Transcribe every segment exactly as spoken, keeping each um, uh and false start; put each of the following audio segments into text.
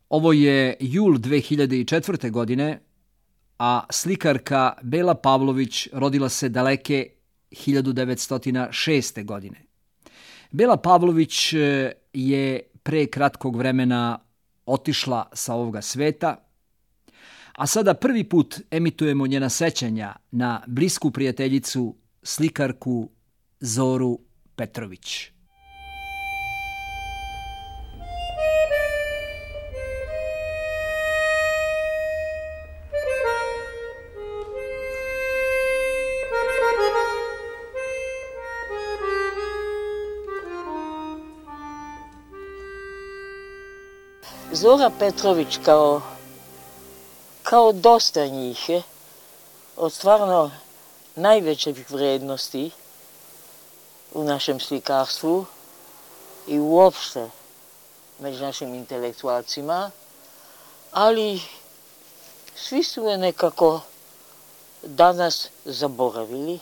Ovo je jul dve hiljade četvrte. godine, a slikarka Bela Pavlović rodila se daleke hiljadu devetsto šeste. godine. Bela Pavlović je pre kratkog vremena otišla sa ovoga sveta, a sada prvi put emitujemo njena sećanja na blisku prijateljicu, slikarku Zoru Petrović. Zora Petrović kao, kao dosta njih je od stvarno najvećih vrednosti u našem slikarstvu i uopšte među našim intelektualcima, ali svi su je nekako danas zaboravili.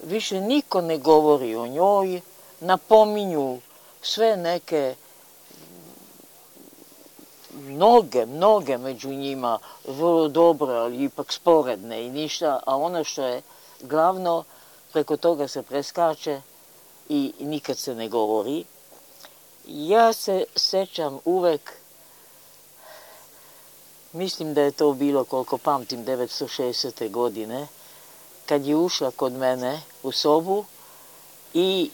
Više niko ne govori o njoj, napominju sve neke Mnoge, mnoge među njima, vrlo dobro, ali ipak sporedne i ništa, a ono što je glavno, preko toga se preskače i nikad se ne govori. Ja se sećam uvek, mislim da je to bilo, koliko pamtim, devetsto šestdesete. godine, kad je ušla kod mene u sobu i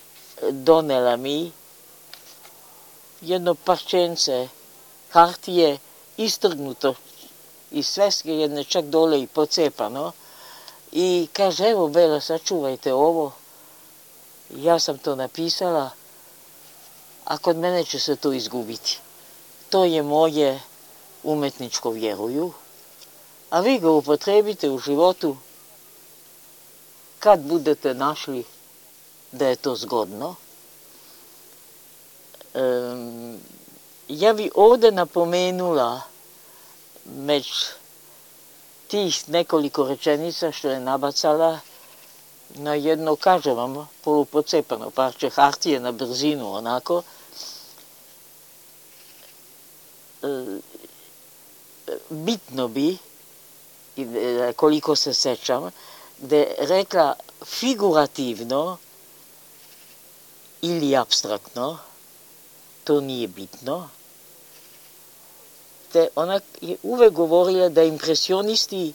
donela mi jedno parčence hartije istrgnuto iz sveske jedne, čak dole i pocepano, i kaže, evo Bela, sačuvajte ovo, ja sam to napisala, a kod mene će se to izgubiti. To je moje umetničko, vjeruju, a vi ga upotrebite u životu kad budete našli da je to zgodno. Um, Ja bi ovde napomenula među tih nekoliko rečenica što je nabacala na jedno, kažem vam, polupocepano parče hartije na brzinu, onako. Bitno bi, koliko se sećam, da je rekla figurativno ili apstraktno, to nije bitno. Te ona je uvek govorila da impresionisti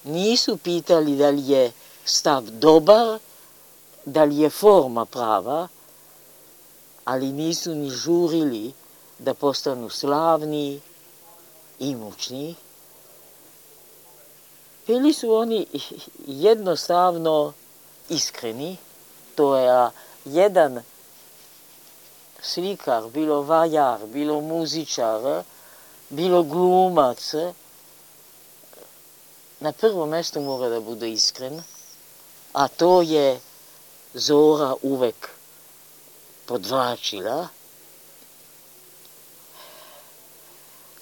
nisu pitali da li je stav dobar, da li je forma prava, ali nisu ni žurili da postanu slavni i mučni. Bili su oni jednostavno iskreni. To je jedan slikar, bilo vajar, bilo muzičar, bilo glumac, na prvom mestu mora da bude iskren, a to je Zora uvek podvlačila.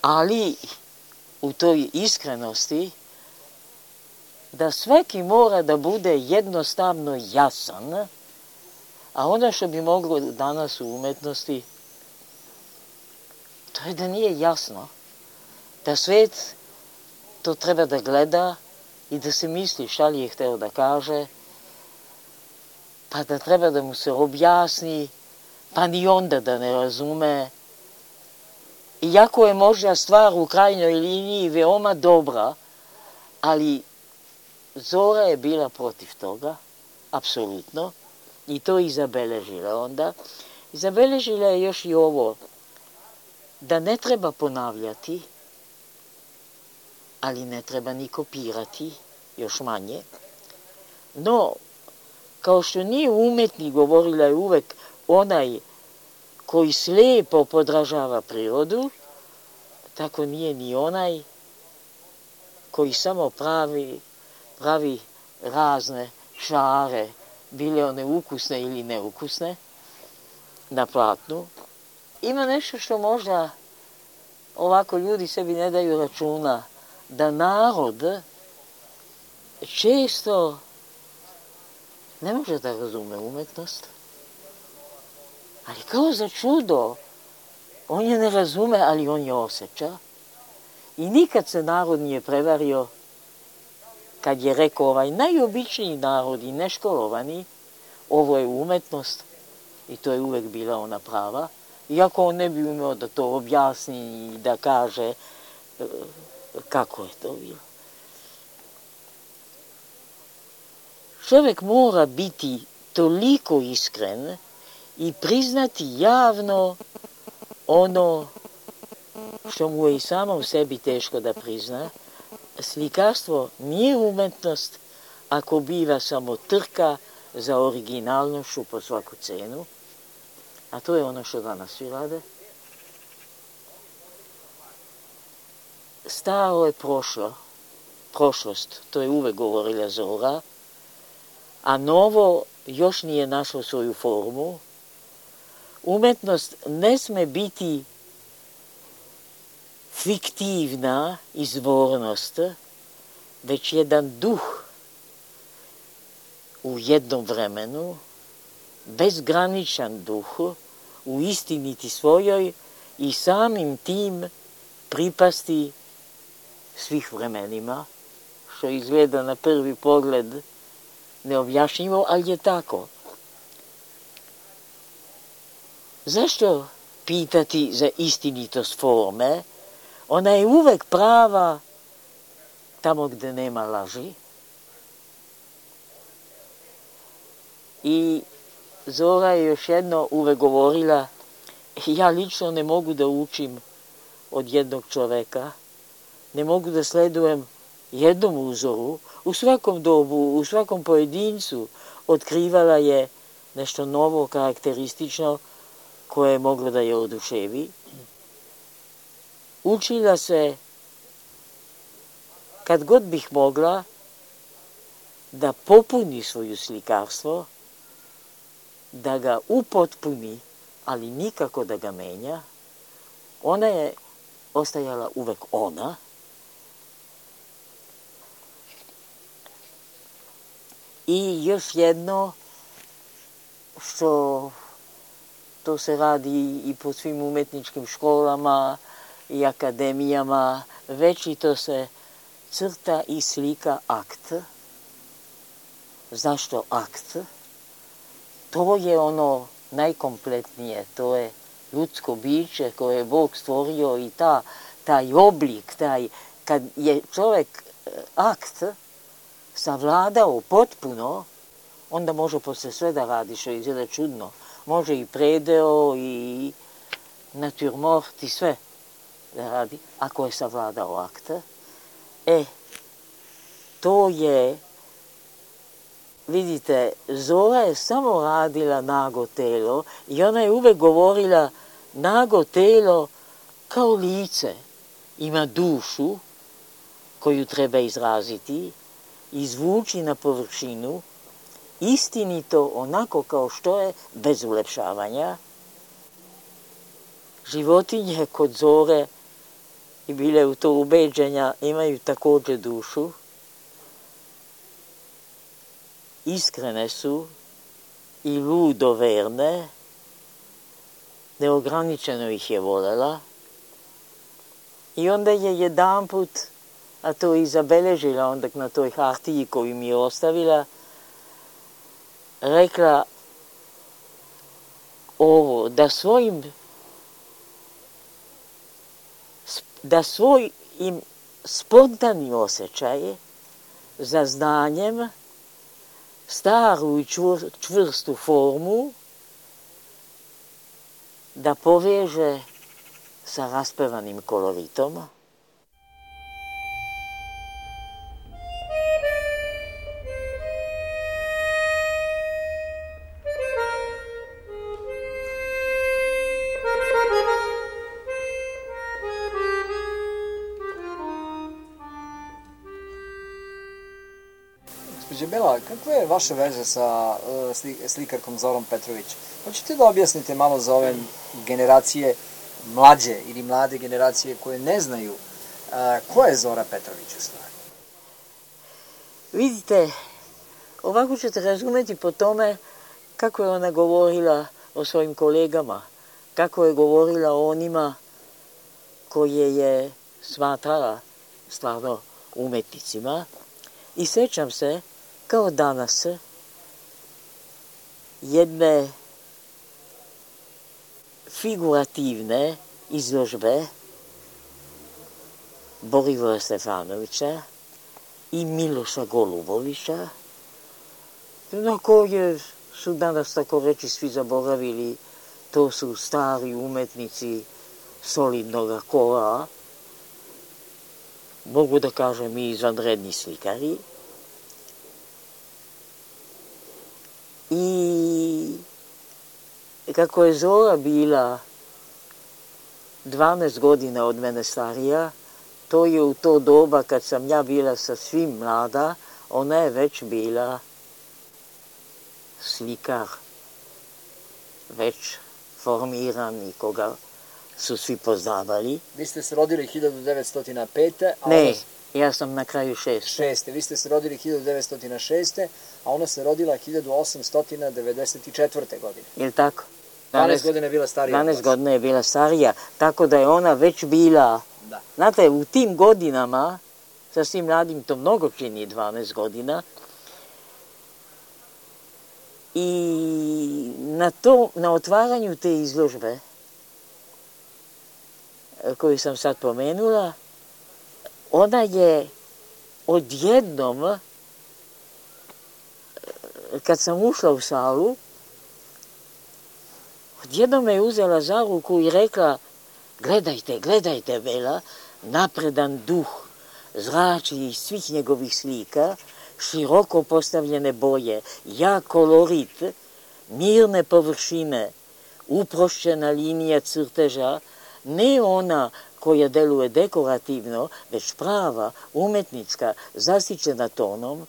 Ali u toj iskrenosti da svaki mora da bude jednostavno jasan, a ono što bi moglo danas u umetnosti, to je da nije jasno. Da svet to treba da gleda i da se misli šta li je hteo da kaže, pa da treba da mu se objasni, pa ni onda da ne razume. Iako je možda stvar u krajnjoj liniji veoma dobra, ali Zora je bila protiv toga, apsolutno. I to i zabeležila onda. I zabeležila je još i ovo, da ne treba ponavljati, ali ne treba ni kopirati, još manje. No, kao što nije umetnik, govorila je uvek onaj koji slijepo podražava prirodu, tako nije ni onaj koji samo pravi, pravi razne šare, bile one ukusne ili neukusne, na platnu. Ima nešto što možda ovako ljudi sebi ne daju računa, da narod često ne može da razume umetnost, ali kao za čudo On je ne razume, ali on je osjeća. I nikad se narod nije prevario kad je rekao ovaj najobičniji narod i neškolovani, ovo je umetnost i to je uvek bila ona prava. Iako on ne bi umeo da to objasni i da kaže kako je to bilo. Čovjek mora biti toliko iskren i priznati javno ono što mu je i samom sebi teško da prizna. Slikarstvo nije umetnost ako biva samo trka za originalnošću po svaku cenu, a to je ono što danas svi rade. Staro je prošlo, prošlost, to je uvek govorila Zora, a novo još nije našlo svoju formu. Umetnost ne sme biti fiktivna izvornost, već jedan duh u jednom vremenu, bezgraničan duh, u istiniti svojoj i samim tim pripasti svih vremenima, što izgleda na prvi pogled neobjašnjivo, ali je tako. Zašto pitati za istinitost forme? Ona je uvek prava tamo gde nema laži. I Zora je još jedno uvek govorila, ja lično ne mogu da učim od jednog čoveka, ne mogu da sledujem jednom uzoru, u svakom dobu, u svakom pojedincu otkrivala je nešto novo, karakteristično, koje je moglo da je oduševi. Učila se, kad god bih mogla, da popuni svoju slikarstvo, da ga upotpuni, ali nikako da ga menja. Ona je ostajala uvek ona. I još jedno, što to se radi i po svim umetničkim školama i akademijama, večito se crta i slika akt. Zašto akt? To je ono najkompletnije, to je ljudsko biće koje je Bog stvorio i ta, taj oblik, taj, kad je čovjek akt savladao potpuno, onda može posle sve da radi, što izgleda čudno. Može i predeo i natürmort i sve da radi, ako je savladao akt. E, to je, vidite, Zora je samo radila nago telo i ona je uvek govorila nago telo kao lice. Ima dušu koju treba izraziti, izvući na površinu, istinito onako kao što je, bez ulepšavanja. Životinje kod Zore i bile u to ubeđenja imaju također dušu. Iskrene su i ludo verne, neograničeno ih je voljela. I onda je jedan put, a to i zabeležila onda na toj hartiji koju mi je ostavila, rekla ovo, da svojim da svoj im spontani osjećaj za znanjem, staru i čvrstu formu, da poveže sa raspevanim koloritom. Gospođo Bela, kakva je vaša veza sa uh, slikarkom Zorom Petrović? Hoćete da objasnite malo za ove generacije mlađe ili mlade generacije koje ne znaju uh, ko je Zora Petrović u stvari? Vidite, ovako ćete razumeti po tome kako je ona govorila o svojim kolegama. kako je govorila o onima koje je smatrala stvarno umetnicima. I sećam se, kao danas, jedne figurativne izložbe Borivoja Stefanovića i Miloša Golubovića, na koje su danas, tako reći, svi zaboravili. To su stari umetnici solidnog kola, mogu da kažem i izvanredni slikari. I kako je Zora bila dvanaest godina od mene starija, to je u to doba kad sam ja bila sasvim mlada, ona je već bila slikar, već formiran i koga su svi poznavali. Vi ste se rodili hiljadu devetsto pete. A ne, ona... ja sam na kraju šeste. Šeste. Vi ste se rodili hiljadu devetsto šeste. a ona se rodila hiljadu osamsto devedeset četvrte. godine. Je li tako? dvanaest godina je bila starija. dvanaest godina je bila starija, tako da je ona već bila... Da. Znate, u tim godinama, sa svim mladim, to mnogo čini dvanaest godina, i na, to, na otvaranju te izložbe, koju sam sad pomenula, ona je odjednom, kad sam ušla u salu, odjednom me je uzela za ruku i rekla: gledajte, gledajte, Bela, napredan duh zrači iz svih njegovih slika, široko postavljene boje, jak kolorit, mirne površine, uprošćena linija crteža, ne ona koja deluje dekorativno, već prava, umetnička, zasićena tonom.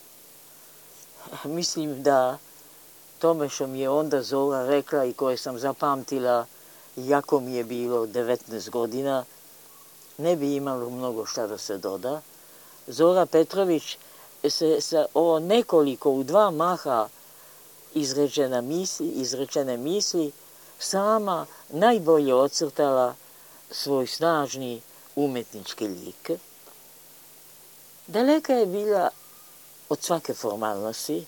Mislim da tome što mi je onda Zora rekla i koje sam zapamtila, iako mi je bilo devetnaest godina, ne bi imalo mnogo šta da se doda. Zora Petrović se sa ovo nekoliko u dva maha izrečene misli, izrečene misli sama najbolje ocrtala svoj snažni umetnički lik. Daleka je bila od svake formalnosti,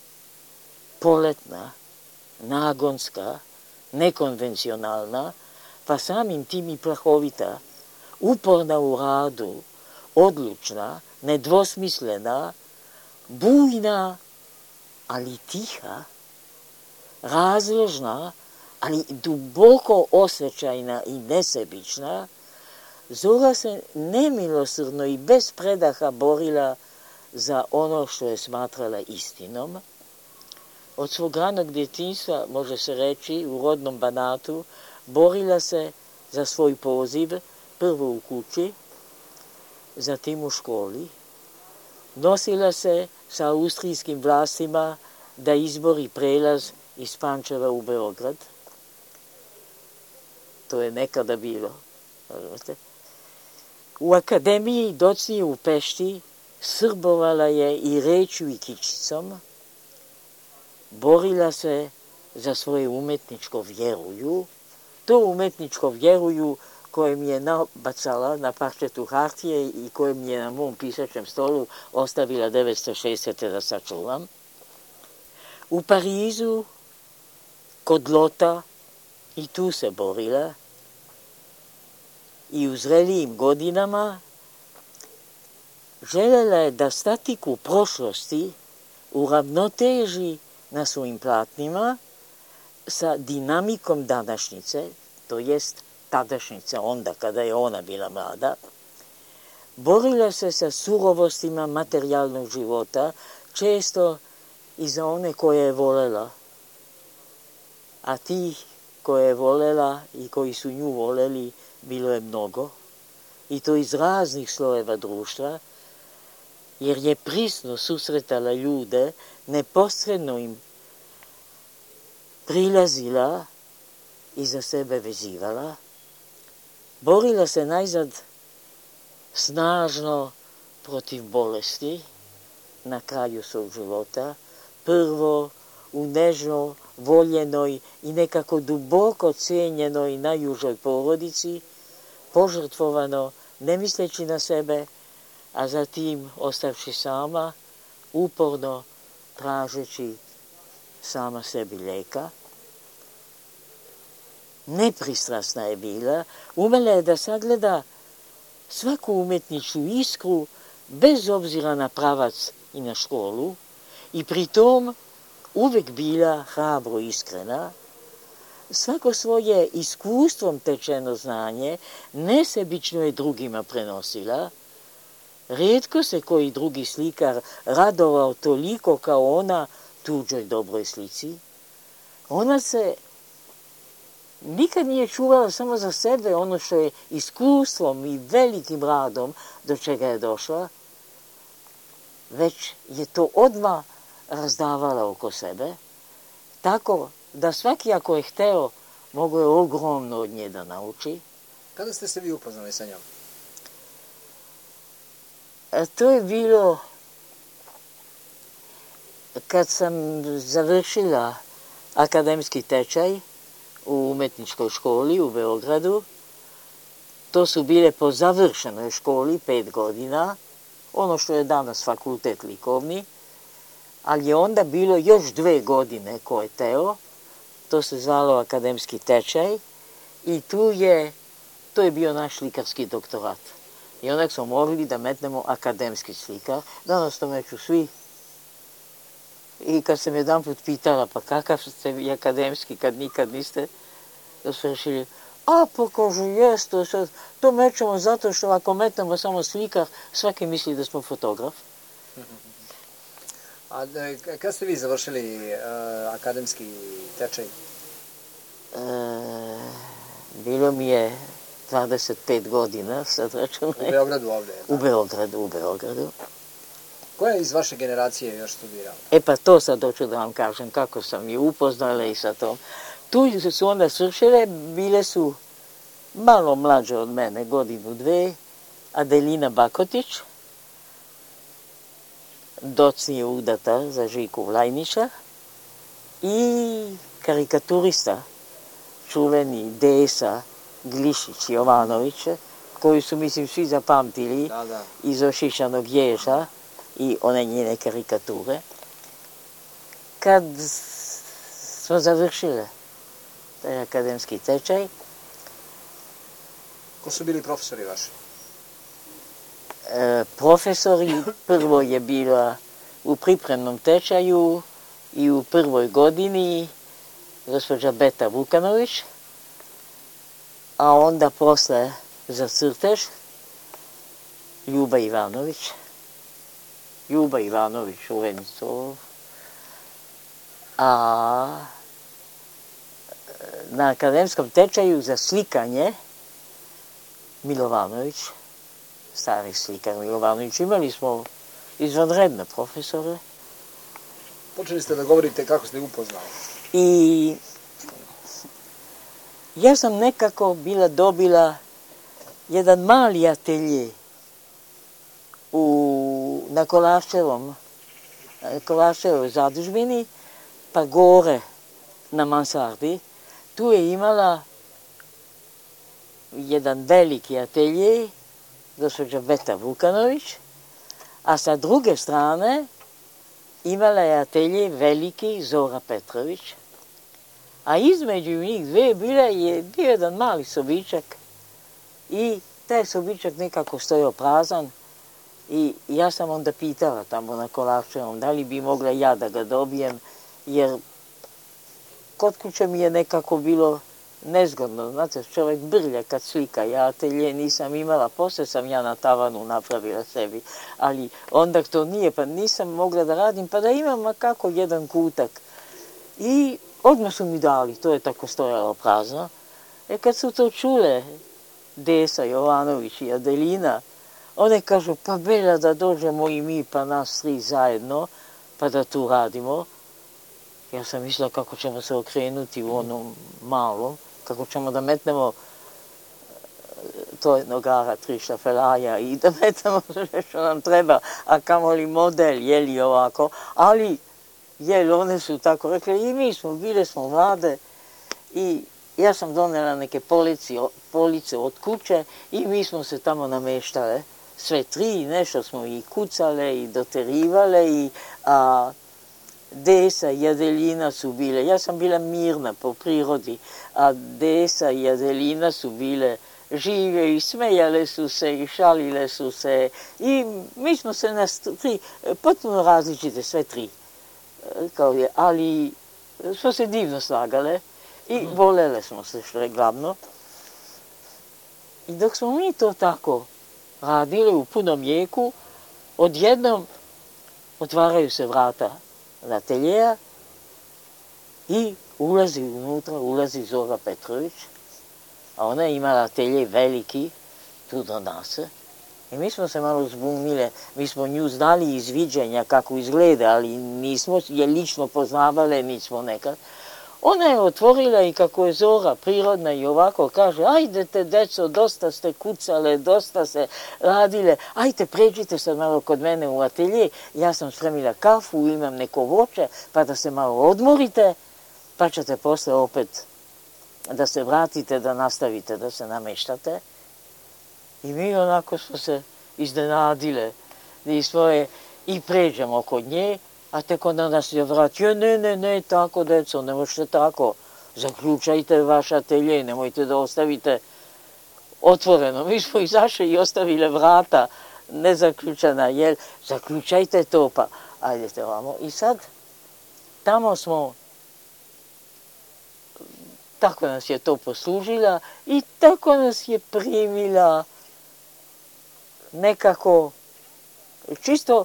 poletna, nagonska, nekonvencionalna, pa samim tim i plahovita, uporna u radu, odlučna, nedvosmislena, bujna, ali tiha, razložna, ali duboko osjećajna i nesebična. Zora se nemilosrdno i bez predaha borila za ono što je smatrala istinom. Od svog ranog djetinjstva, može se reći, u rodnom Banatu, borila se za svoj poziv, prvo u kući, zatim u školi. Nosila se sa austrijskim vlastima da izbori prelaz iz Pančeva u Beograd. To je nekada bilo. U akademiji docnije u Pešti srbovala je i rečju i kičicom, borila se za svoje umetničko vjeruju, to umetničko vjeruju koje mi je nabacala na parčetu hartije i koje mi je na mom pisačem stolu ostavila devetsto šestdesete da sačuvam. U Parizu, kod Lota, i tu se borila, i u zrelijim godinama želela je da statiku prošlosti uravnoteži na svojim platnima sa dinamikom današnjice, to jest tadašnjice, onda kada je ona bila mlada. Borila se sa surovostima materijalnog života, često i za one koje je volela. A tih koje je volela i koji su nju voleli bilo je mnogo, i to iz raznih slojeva društva, jer je prisno susretala ljude, neposredno im prilazila i za sebe vezivala. Borila se najzad snažno protiv bolesti na kraju svog života, prvo u nežno voljenoj i nekako duboko cijenjenoj najužoj porodici, požrtvovano, ne misleći na sebe, a zatim ostavši sama, uporno tražeći sama sebi lijeka. Nepristrasna je bila, umela je da sagleda svaku umjetničku iskru bez obzira na pravac i na školu i pritom uvijek bila hrabro iskrena. Svako svoje iskustvom tečeno znanje nesebično je drugima prenosila. Rijetko se koji drugi slikar radovao toliko kao ona tuđoj dobroj slici. Ona se nikad nije čuvala samo za sebe ono što je iskustvom i velikim radom do čega je došla, već je to odmah razdavala oko sebe, tako da svaki ako je hteo, mogo je ogromno od nje da nauči. Kada ste se vi upoznali sa njom? A to je bilo kad sam završila akademski tečaj u umetničkoj školi u Beogradu. To su bile po završenoj školi pet godina, ono što je danas fakultet likovni, ali je onda bilo još dve godine ko je teo, to se zvalo akademski tečaj i tu je, to je bio naš slikarski doktorat. I onak smo mogli da metnemo akademski slikar, danas to meću svi. I kad sam jedan put pitala, pa kakav ste vi akademski kad nikad niste, da su rešili, a pa kažu, jes, to, to mećemo zato što ako metnemo samo slikar, svaki misli da smo fotograf. A kad ste vi završili uh, akademski tečaj? E, bilo mi je dvadeset pet godina, sad računaj. U Beogradu ovdje? U Beogradu, u Beogradu. Ko je iz vaše generacije još studirao? E pa to sad hoću da vam kažem, kako sam je upoznala i sa tom. Tu su onda svršile, bile su malo mlađe od mene, godinu, dve, Adelina Bakotić, docnije udata za Žiku Vlajnića i karikaturista, čuveni Desa Glišić Jovanović, koji su, mislim, svi zapamtili da, da. iz Ošišanog ježa i one njene karikature. Kad smo završile taj akademski tečaj. Ko su bili profesori vaši? E, profesori, prvo je bila u pripremnom tečaju i u prvoj godini gospođa Beta Vukanović, a onda posle za crtež Ljuba Ivanović. Ljuba Ivanović u Venicov. A na akademskom tečaju za slikanje Milovanović, stari slikar Milovanović. Imali smo izvanredne profesore. Počeli ste da govorite kako ste upoznali. I ja sam nekako bila dobila jedan mali atelje u, na Kolaševom, Kolaševoj zadužbini, pa gore na mansardi. Tu je imala jedan veliki atelje, gospođa Beta Vukanović, a sa druge strane imala je atelje veliki Zora Petrović, a između njih dve bila je bio jedan mali sobičak i taj sobičak nekako stojao prazan i ja sam onda pitala tamo na Kolaševom da li bi mogla ja da ga dobijem, jer kod kuće mi je nekako bilo nezgodno, znate, čovjek brlja kad slika, ja atelje nisam imala, posle sam ja na tavanu napravila sebi, ali onda to nije, pa nisam mogla da radim, pa da imam kako jedan kutak. I odmah su mi dali, to je tako stojalo prazno. E kad su to čule Desa Jovanović i Adelina, one kažu, pa belja da dođemo i mi, pa nas tri zajedno, pa da tu radimo. Ja sam mislila kako ćemo se okrenuti u onom malom, kako ćemo da metnemo to je nogara, tri šafelaja i da metnemo sve što nam treba, a kamoli model, jeli ovako. Ali Jel, one su tako rekle i mi smo, bile smo mlade i ja sam donela neke polici, police od kuće i mi smo se tamo nameštale. Sve tri, nešto smo i kucale i doterivale i a, Desa i Adelina su bile, ja sam bila mirna po prirodi, a Desa i Adelina su bile žive i smejale su se i šalile su se i mi smo se nas tri, potpuno različite, sve tri, kao je, ali smo se divno slagale i volele smo se, što je glavno. I dok smo mi to tako radili u punom jeku, odjednom otvaraju se vrata ateljeja i ulazi unutra, ulazi Zora Petrović, a ona je imala atelje veliki, tu do nas. I mi smo se malo zbunile, mi smo nju znali iz viđenja kako izgleda, ali nismo je lično poznavale, nismo nekad. Ona je otvorila i kako je Zora prirodna i ovako kaže, ajdete deco, dosta ste kucale, dosta ste radile, ajte pređite sad malo kod mene u atelje, ja sam spremila kafu, imam neko voće, pa da se malo odmorite, pa ćete posle opet da se vratite, da nastavite, da se nameštate. I mi onako smo se iznenadile i svoje i pređemo kod nje, a tek onda nas je vratio, ne, ne, ne, tako, deco, ne možete tako, zaključajte vaš atelje, nemojte da ostavite otvoreno. Mi smo izašli i ostavile vrata nezaključana, jer zaključajte to, pa ajdete vamo. I sad, tamo smo, tako nas je to poslužila i tako nas je primila nekako, čisto,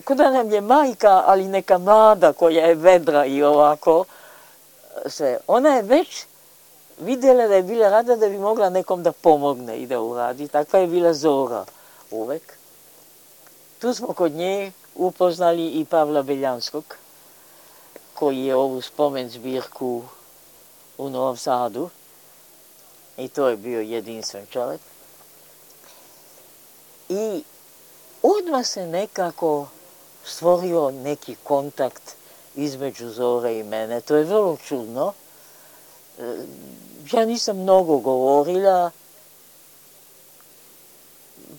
kao da nam je majka, ali neka mlada koja je vedra i ovako sve. Ona je već vidjela da je bila rada da bi mogla nekom da pomogne i da uradi. Takva je bila Zora uvek. Tu smo kod nje upoznali i Pavla Beljanskog, koji je ovu spomen zbirku u Novom Sadu. I to je bio jedinstven čovjek. I odmah se nekako stvorio neki kontakt između Zore i mene. To je vrlo čudno. Ja nisam mnogo govorila,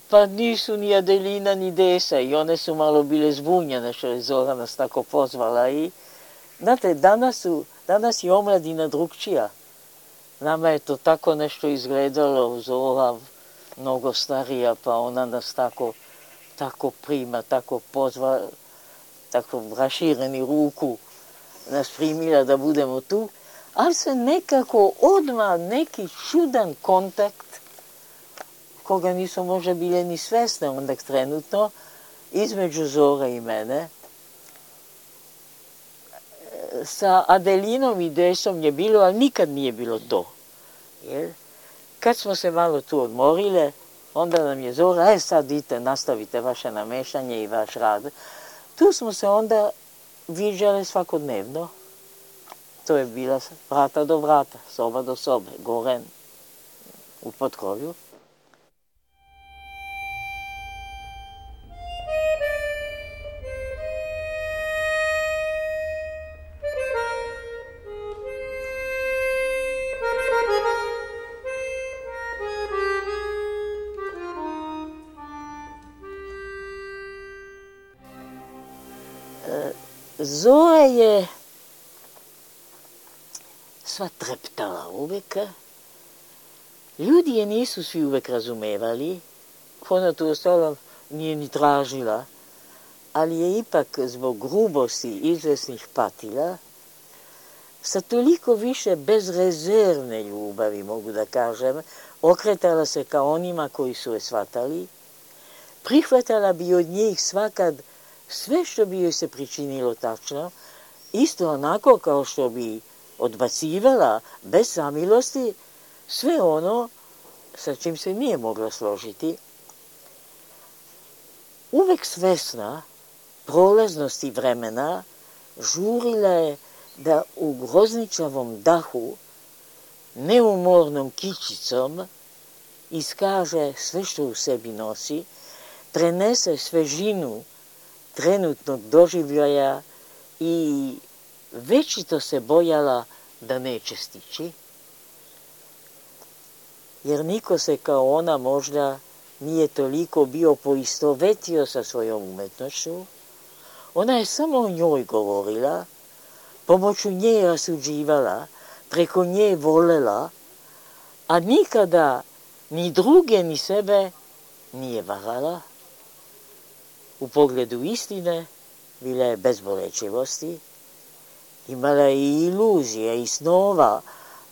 pa nisu ni Adelina ni Desa i one su malo bile zbunjene što je Zora nas tako pozvala. I, znate, danas, su, danas je omladina drugčija. Nama je to tako nešto izgledalo, Zora mnogo starija, pa ona nas tako tako prima, tako pozva, tako rašireni ruku nas primila da budemo tu, ali se nekako odmah neki čudan kontakt, koga nisu možda bile ni svesne onda trenutno, između Zore i mene. Sa Adelinom i Desom je bilo, ali nikad nije bilo to. Jer kad smo se malo tu odmorile, onda nam je Zora, e sad idite, nastavite vaše namešanje i vaš rad. Tu smo se onda viđale svakodnevno. To je bila vrata do vrata, soba do sobe, gore u potkrovju. Zora je sva treptala uvek. Ljudi je nisu svi uvek razumevali. Ona tu ostalo nije ni tražila, ali je ipak zbog grubosti izvesnih patila sa toliko više bezrezervne ljubavi, mogu da kažem, okretala se ka onima koji su je shvatali, prihvatala bi od njih svakad sve što bi joj se pričinilo tačno, isto onako kao što bi odbacivala bez samilosti sve ono sa čim se nije mogla složiti. Uvek svesna prolaznosti vremena, žurila je da u grozničavom dahu, neumornom kičicom, iskaže sve što u sebi nosi, prenese svežinu trenutnog doživljaja i večito se bojala da neće stići, jer niko se kao ona možda nije toliko bio poistovetio sa svojom umetnošću. Ona je samo o njoj govorila, pomoću nje rasuđivala, preko nje volela, a nikada ni druge ni sebe nije varala. U pogledu istine bila je bez bolečivosti, imala je i iluzije i snova,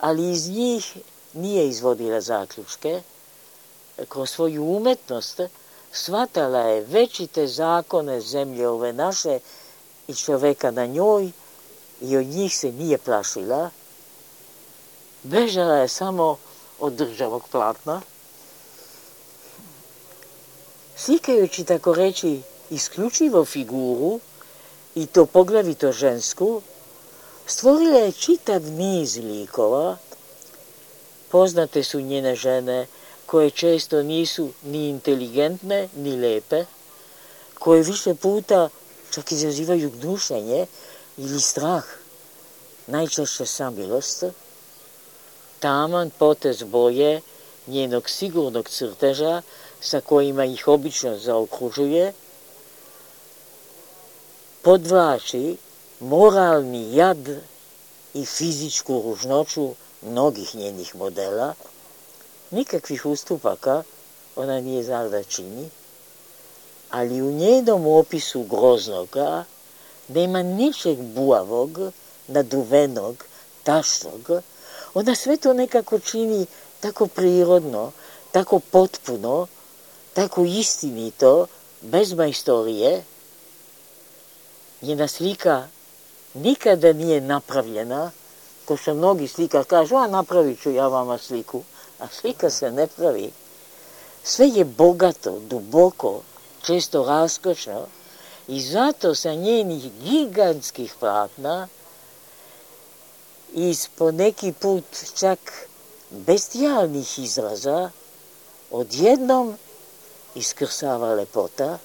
ali iz njih nije izvodila zaključke. Kroz svoju umetnost shvatala je večite zakone zemlje ove naše i čoveka na njoj i od njih se nije plašila. Bežala je samo od državog platna. Slikajući, tako reći, isključivo figuru, i to poglavito žensku, stvorila je čitav niz likova. Poznate su njene žene, koje često nisu ni inteligentne, ni lepe, koje više puta čak izazivaju gnušenje ili strah, najčešće samilost. Taman potez boje njenog sigurnog crteža, sa kojima ih obično zaokružuje, podvlači moralni jad i fizičku ružnoću mnogih njenih modela. Nikakvih ustupaka ona nije znala da čini, ali u njenom opisu groznoga nema ničeg buavog, naduvenog, tašnog. Ona sve to nekako čini tako prirodno, tako potpuno, tako istinito, bez majstorije. Njena slika nikada nije napravljena, ko što mnogi slikar kažu, a napravit ću ja vama sliku, a slika se ne pravi. Sve je bogato, duboko, često raskošno i zato sa njenih gigantskih platna iz po neki put čak bestijalnih izraza odjednom iskrsava lepota.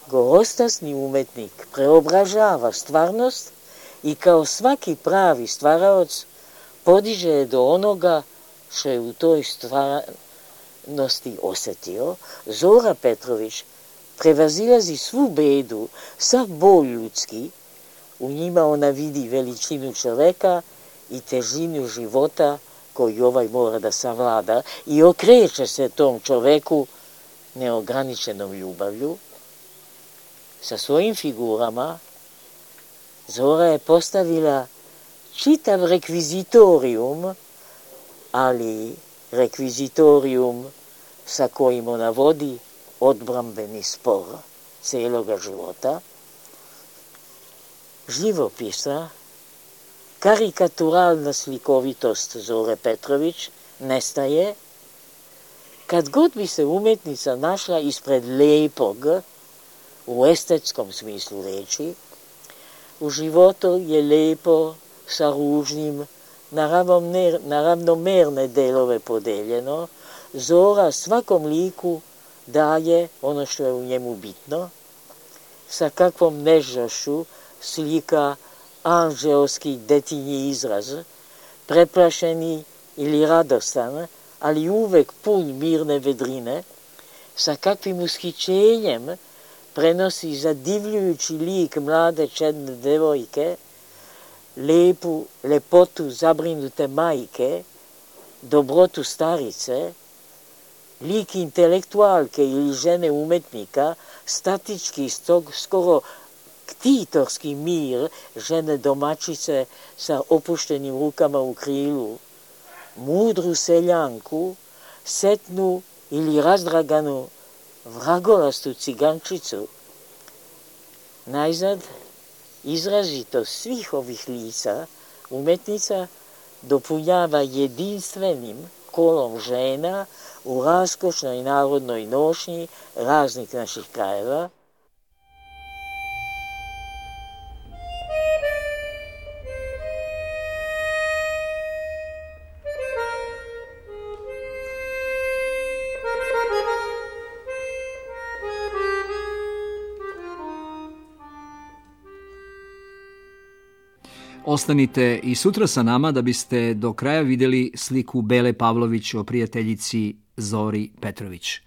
Gorostasni umetnik preobražava stvarnost i kao svaki pravi stvaraoc podiže je do onoga što je u toj stvarnosti osetio. Zora Petrović prevazilazi svu bedu, sav bol ljudski, u njima ona vidi veličinu čoveka i težinu života koju ovaj mora da savlada i okreće se tom čoveku neograničenom ljubavlju. Sa svojim figurama Zora je postavila čitav rekvizitorijum, ali rekvizitorijum sa kojim ona vodi odbrambeni spor celoga života. Živopisna, karikaturalna slikovitost Zore Petrović nestaje kad god bi se umetnica našla ispred lepog, u estetskom smislu reči. U životu je lepo sa ružnim, na ravnomerne delove podeljeno. Zora svakom liku daje ono što je u njemu bitno. Sa kakvom nežnošću slika anđeoski detinji izraz, preplašeni ili radostan, ali uvek pun mirne vedrine, sa kakvim ushićenjem prenosi zadivljujući lik mlade čedne devojke, lepu lepotu zabrinute majke, dobrotu starice, lik intelektualke ili žene umetnika, statički, skoro ktitorski mir žene domaćice sa opuštenim rukama u krilu, mudru seljanku, setnu ili razdraganu vragolastu cigančicu. Najzad, izrazito svih ovih lica umetnica dopunjava jedinstvenim kolom žena u raskošnoj narodnoj nošnji raznih naših krajeva. Ostanite i sutra sa nama da biste do kraja vidjeli sliku Bele Pavlović o prijateljici Zori Petrović.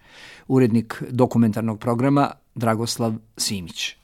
Urednik dokumentarnog programa Dragoslav Simić.